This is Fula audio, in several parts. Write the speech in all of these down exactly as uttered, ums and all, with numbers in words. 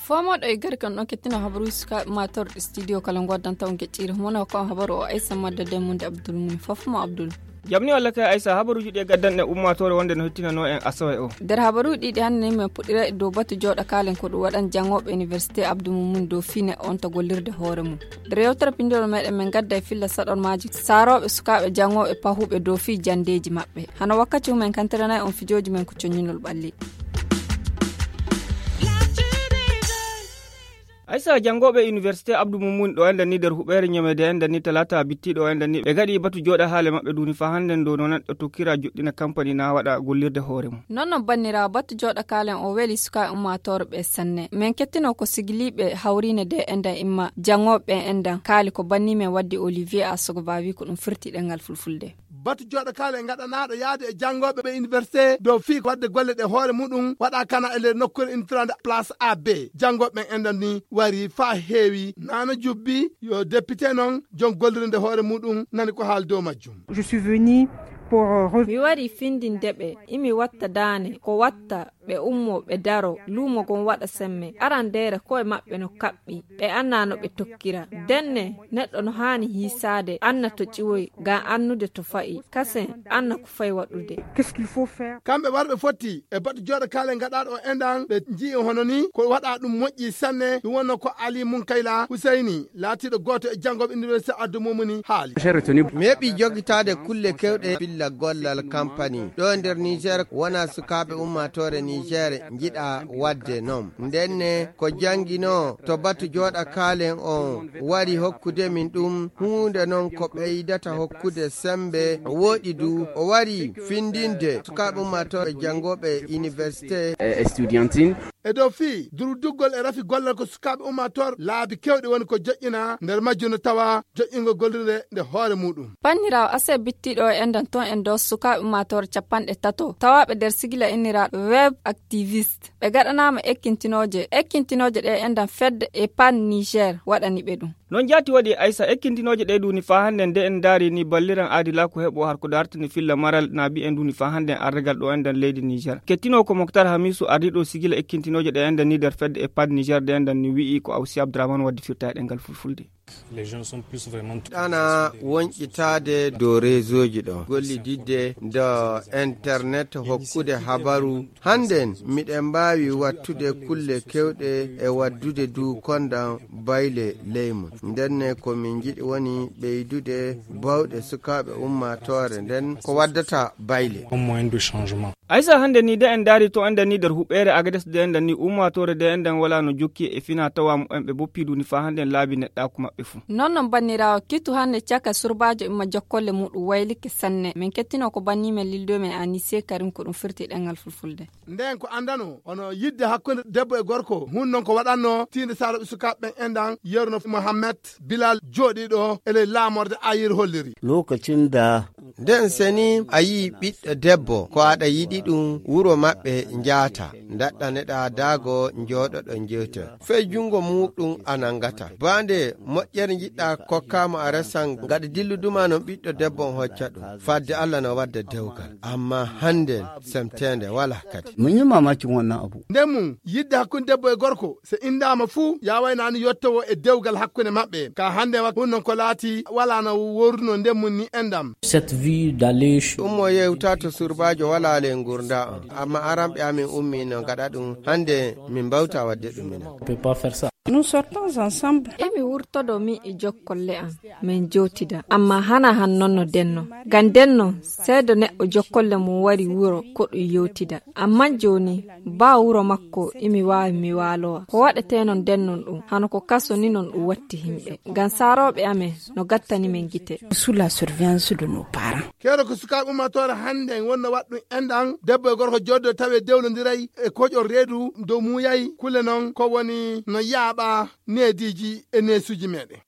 Fomoɗo e gari kan ɗon kettino habaruuji sukaaɓe ummaatooɓe studio kala ngoddanta on geɗɗiire mono ko habaru o aysa madda demmunde abdul muni fof mo abdul. Jamni walla kay aysa habaruuji ɗi e gaddanɗe ummaatoore wonde no hettinano en asawe o. Nder habaruuji ɗiɗi hannde ni men puɗɗira e dow batu jooɗa kaalen ko ɗum waɗan janngooɓe université abdou mumuni dow fine on to gollirde hoore mum. Nder yewtere pinndol meɗen men gadda e filla saɗormaaji saarooɓe sukaaɓe janngooɓe pahuɓe dow fii janndeeji maɓɓe. Hano wakkati mumen kantiranay on fijooji men ko coññinol ɓalli. Aysa janngooɓe université abdou mumuni ɗo enden ni nder huɓeere ñamede enden ni talata bittiɗo enden ni ɓe gaɗi batu jooɗa haale maɓɓe duni fa hannden dow no neɗɗo tokkira joɗɗina kampani na waɗa gollirde hoore mum. Non non banniraawo batu jooɗa kaalen o weli sukaaɓe ummaatoore ɓe sanne men kettino ko sigiliiɓe hawriine de endan imma janngooɓe ɓe endan kaali ko banni men waddi olivier asogo bawi ko ɗum firti ɗengal fulfulde. Batu jooɗo kaale ngaɗanaaɗo yaade e janngooɓe ɓe université dow fii waɗde golle ɗe hoore muɗum waɗa kana e nder nokkuure intirande place a b janngooɓe ɓen enɗan ni wari faa heewi nana jubbi yo député noon jom gollirde hoore muɗum nani ko haal dow majjum. Je suis venu pour euh, rev- Mi wari findinde ɓe imi watta daane ko watta ɓe ummo ɓe daro luumo gon waɗa semme arandeere koye maɓɓe no kaɓɓi ɓe annaa no ɓe tokkira. Denne neɗɗo no haani hiisaade anna to ƴiwoy ngam annude to fa'i kasen anna ko fay waɗude. Qu'est-ce qu'il faut faire? Kamɓe warɓe fotti e baɗɗo jooɗo kaale ngaɗaaɗo o enɗan ɓe nji'i hono ni ko waɗa ɗum moƴƴi sanne ɗum wonno ko ali munkayla husayni laatiiɗo gooto e janngooɓe université addu mumuni haali. Mi heɓi jogitaade kulle kewɗe billa gollal kampani ɗo nder niger wona sukaaɓe ummaatoore niger njiɗa waɗde noon ndenne ko jannginoo to batu jooɗa kaalen on wari hokkude min ɗum huunde noon ko ɓeydata hokkude semmbe wooɗi du o wari findinde sukaaɓe ummaatoore janngooɓe université. E dow fii durduggol e rafi gollal ko sukaaɓe ummaatoor laabi kewɗi woni ko joƴƴina nder majjum no tawa joƴƴingol gollirde nde hoore muɗum. Panniraawo ase bittiiɗo o enɗan toon en dow sukaaɓe ummaatoor capanɗe tato tawaaɓe nder sigila inniraaɗo web activiste ɓe gaɗanaama ekkintinooje ekkintinooje ɗe enɗan fedde e pan niger waɗani ɓe ɗum. Noon jaati waɗi aysa ekkintinooje ɗe duuni faa hannde nde en ndaari ni balliran aadilaaku heɓo har ko dartani filla maral na mbiyen duuni faa hannde arregal ɗo enɗan leydi niger kettinoo ko moktar hamisu ardiiɗo sigila ekkintinooje ɗe enɗan ni nder fedde e pad niger ɗe enɗan ni wi'i ko awsi abdourahmane waddi firta e ɗengal fulfulde. Ɗana wonƴitaade dow reseauji ɗo gollididde ndo internet hokkude habaru hannden miɗen mbaawi wattude kulle kewɗe e waddude du kondan bayle ley mum ndenne ko min njiɗi woni ɓeydude bawɗe sukaaɓe ummaatoore nden ko waddata bayle. Aysa hannde ni de en ndaari to enɗan ni nder huɓeere agades de enɗan ni ummaatoore de enɗan wala no jokki e fina tawa mumen ɓe boppi duni faa hannde en laabi neɗɗaaku maɓɓe fuu. Noon noon banniraawo kitu hannde caka surbaajo imma jokkolle muɗum waylike sanne min kettino ko banni men lildo men anise karim ko ɗum firti ɗengal fulfulde. Ndeen ko anndano hono yidde hakkunde debbo e gorko hun noon ko waɗanno tiinde saroɓe sukaaɓe ɓen enɗan yerno mohammed bilal jooɗiiɗo e ley laamorde ayir holliri. Lokacin da nden seni a yii ɓiɗɗo debbo ko aɗa yiɗi ɗum wuro maɓɓe njaata ndaɗɗaneɗa daago njooɗoɗo njewta fey junngo muɗum a nanngata baande moƴƴere njiɗɗa kokkaama a resan ngaɗa dilluduma noon ɓiɗɗo debbo on hocca ɗum fadde allah no wadda dewgal amma hannden semteende wala kadi. Mun yi mamakin wannan abu. Nden mum yidde hakkunde debbo e gorko so inndaama fuu yaawaynani yottowo e dewgal hakkunde maɓɓe ka hannde wa hunnon ko laati wala no worruno nden mum ni enɗam. Cette vie d'aller ch- ɗum mo yewta to surbaajo wala ley ngurnda on amma aranɓe amin ummi no ngaɗa ɗum hannde min mbawta wadde ɗum minen. Peut pas faire ça. Nous sortons ensemble. Emi wurtodo mi e jokkolle am min jowtida amma hana han non no denno ngam denno seedo neɗɗo jokkolle mum wari wuro ko ɗum yewtida amma jooni ba wuro makko imi waawi mi waalowa ko waɗetee non dennon ɗum hano ko kaso ni non ɗum watti himɓe ngam saarooɓe amen no gattani men gite. Sous la surveillance de nos parents. Keero ko sukaaɓe ummaatoore hannde en wonno waɗ ɗum enɗan debbo e gorko jooɗdo tawi dewlondiray e koƴol reedu dow muuyay kulle noon ko woni no yaaɓa neediiji e neesuuji meeɗen.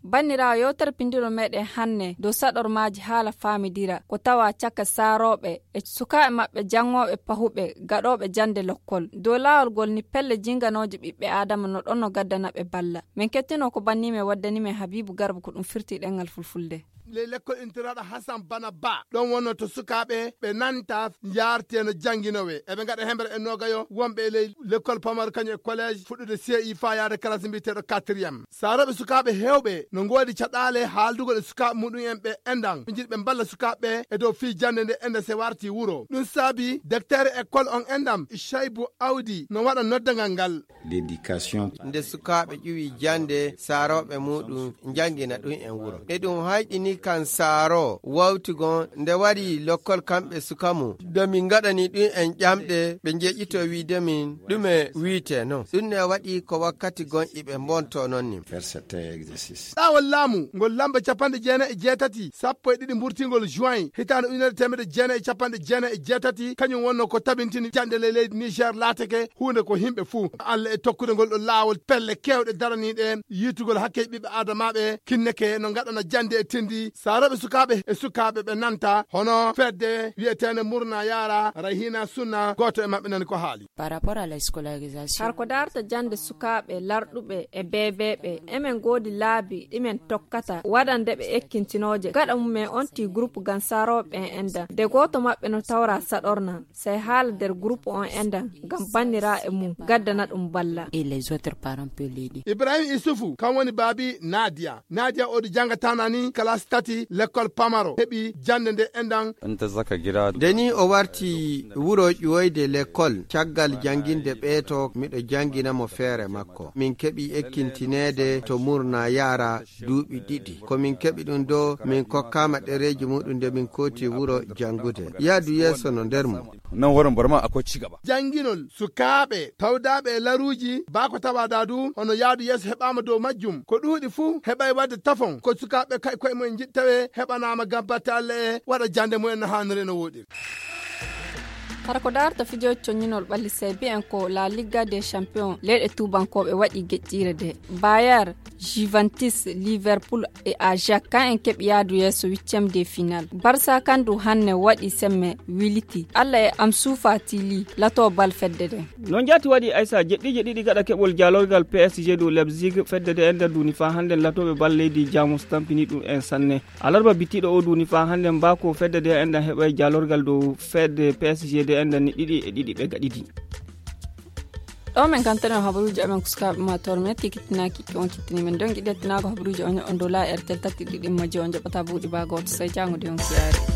Banndiraawo, yewtere pinndiro meɗen hannde dow saɗormaaji haala faamidira ko tawa caka saarooɓe e sukaaɓe maɓɓe janngooɓe pahuɓe gaɗooɓe jannde lokkol. Dow laawol ngol ni pelle jinganooje ɓiɓɓe Aadama no ɗon no gaddana ɓe balla. Min kettino ko banni men waddani men Habiibu Garba ko ɗum firti ɗemngal fulfulde. Ley lekkol intiraaɗo Hasan Bana Ba ɗon wonno to sukaaɓe ɓe nanta njaartee no jannginoowe. Eɓe ngaɗa hemre e noogayo wonɓe e ley lekkol pamaro kañum e collège fuɗɗude C I faa yaade classe mbiyeteeɗo quatrième. Saarooɓe sukaaɓe heewɓe no ngoodi caɗaale haaldugol e sukaaɓe muɗum en ɓe enɗan. Ɓe njiɗi ɓe mballa sukaaɓe ɓe e dow fii jannde nde enɗan se warti wuro. Ɗum saabi daktere école on enɗan Shaybu Awdi no waɗa noddangal ngal. L'éducation. Nde sukaaɓe ƴuwi jannde saarooɓe muɗum njanngina ɗum en wuro. E ɗum hayɗini kan saaro wawtigon nde waɗi lokkol kamɓe suka mum. Nde min ngaɗani ɗum en ƴamɗe ɓe njeƴƴito wiide min ɗume wiite non. Ɗum ne waɗi ko wakkati gon iɓe mbonto non ni. Faire certains exercices. Ɗaawol laamu ngol lamba capanɗe jeenayi e jeetati, sappo e ɗiɗi mburtingol juin, hitaande ujunere teemedde jeenayi e capanɗe jeenayi e jeetati, kañum wonno ko tabintini jannde ley leydi Niger laatake huunde ko himɓe fuu. Allah e tokkude ngol ɗo laawol pelle keewɗe daraniiɗe yiitugol hakke ɓiɓɓe Aadamaaɓe kinneke no ngaɗana jannde e tindi saarooɓe sukaaɓe e sukaaɓe ɓe nanta hono fedde wiyeteende Murna Yaara Rahina Sunna, gooto e maɓɓe nani ko haali. Par rapport à la scolarisation. Har ko darta jannde sukaaɓe larɗuɓe e beebeeɓe, emen ngoodi laabi ɗimen tokkata waɗande ɓe ekkintinooje. Gaɗa mum en on tii groupe gam saarooɓe en enɗan. De gooto maɓɓe no tawra saɗorna, sey haala nder groupe on enɗan, gam bannira e mum, gaddana ɗum balla. Et les autres parents peuvent l'aider. Ibrahim Isufu, kan woni baabi Nadia. Nadia o ɗo jannga tanani, classe tati, lekkol pamaro. Heɓi jannde nde enɗan. Nde ni o warti wuro ƴuwoyde lekkol, caggal jannginde ɓeeto, miɗo janngina mo feere makko. Min keɓi ekkintineede to Murna Yaara duuɓi ɗiɗi. Ko min keɓi ɗum ɗo, min kokkaama ɗereeji muɗum nde min kooti wuro janngude. Yaadu yeeso no nder mum. Nan wurin Burma akwai ci gaba. Jannginol sukaaɓe tawdaaɓe e laruuji, baa ko tawaa daa du, hono yaadu yeeso heɓaama dow majjum. Ko ɗuuɗi fuu heɓay waɗde tafon, ko sukaaɓe kay koye mumen njiɗ tawee heɓanaama gam batte Alla e waɗa jannde mumen no haaniri no wooɗiri. Hara ko darta fijooji coññinol ɓalli sey bi'en ko La Liga des Champions, leyɗe tuubankooɓe waɗi geƴƴiire de. Bayer, Juventus, Liverpool e Ajax, kan en keɓi yaadu yeeso huitième de final. Barça kan du hannde waɗi semme wiliti. Alla e am suufa tili lato bal fedde de. Noon jaati waɗi Aysa jeɗɗiije ɗiɗi gaɗa keɓol jaalorgal P S G dow Leipzig, fedde de ender duuni faa hannden latooɓe bal leydi Jamus tampini ɗum en sanne. Alarba bittiiɗo o duuni faa hannden mbaako fedde de ender heɓay jaalorgal dow fedde P S G de ender ni ɗiɗi e ɗiɗi ɓe gaɗidi. Ɗo men kantanen habaruuji amen ko sukaaɓe ma toon metti kittinaaki on kittini men don giɗe tinaago habaruuji on on dow la R T L tati ɗiɗi majji on jaɓata buuɗi baa gooto sey jaango de on kiyaari.